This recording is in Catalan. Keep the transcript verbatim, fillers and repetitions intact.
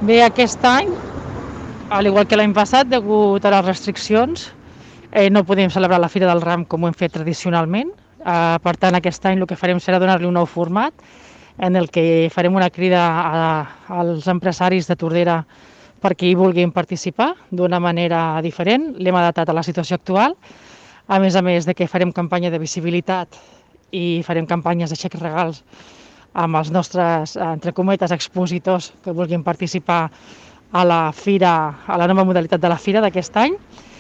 Bé, aquest any, al igual que l'any passat, degut a les restriccions, eh, no podem celebrar la Fira del Ram com ho hem fet tradicionalment. Eh, per tant, aquest any el que farem serà donar-li un nou format, en el que farem una crida a, als empresaris de Tordera perquè hi vulguin participar d'una manera diferent. L'hem adaptat a la situació actual, a més a més de que farem campanya de visibilitat i farem campanyes de xecs regals amb els nostres, entre cometes, expositors que vulguin participar a la fira, a la nova modalitat de la fira d'aquest any.